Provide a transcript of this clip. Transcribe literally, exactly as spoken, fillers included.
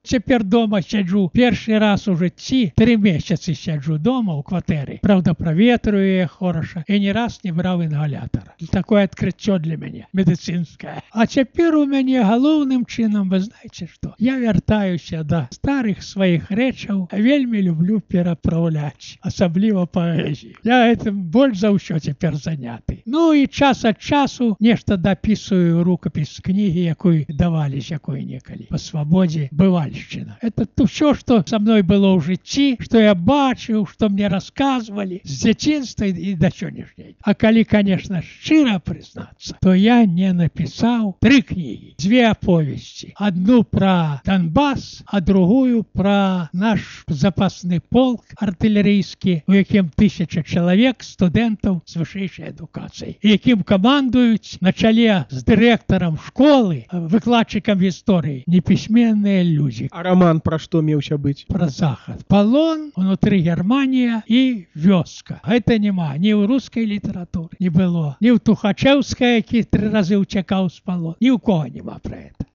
Цяпер дома сяджу першы раз у жыцці, тры месяцы сяджу дома ў кватэры. Праўда, праветрую яе хораша і ні раз не браў інгалятар. Такое адкрыццё для мяне медыцынскае. А цяпер у мяне галоўным чынам, вы знаеце што? Я вяртаюся да старых сваіх рэчаў, вельмі люблю перапраўляць, асабліва паэзію. Я гэтым больш за ўсё цяпер заняты. Ну і час ад часу нешта дапісую рукапіс кнігі, якой давалі якой-некалі па свабодзе бывальшчына. Это ўсё, што са мной было ў жыцці, што я бачыў, што мне расказвалі з дзяцінства і да сённяшняй. А калі, конечно, шчыра прызнацца, то я не напісаў тры кнігі, дзве аповесці. Адну пра Донбас, а другую пра наш запасны полк артылерыйскі, у якім тысяча чалавек студэнтаў з вышэйшай адукацыяй, якім камандуюць на чале з дырэктарам школы, выкладчыкам гісторыі, непісьменныя людзі. А роман пра што меўся быць? Пра захад. Палон, унутры Германія і вёска. Гэта няма ні ў рускай літаратуры не было, ні ў Тухачэўскай, які тры разы ўцякаў з палон. Ні ў кого няма пра гэта.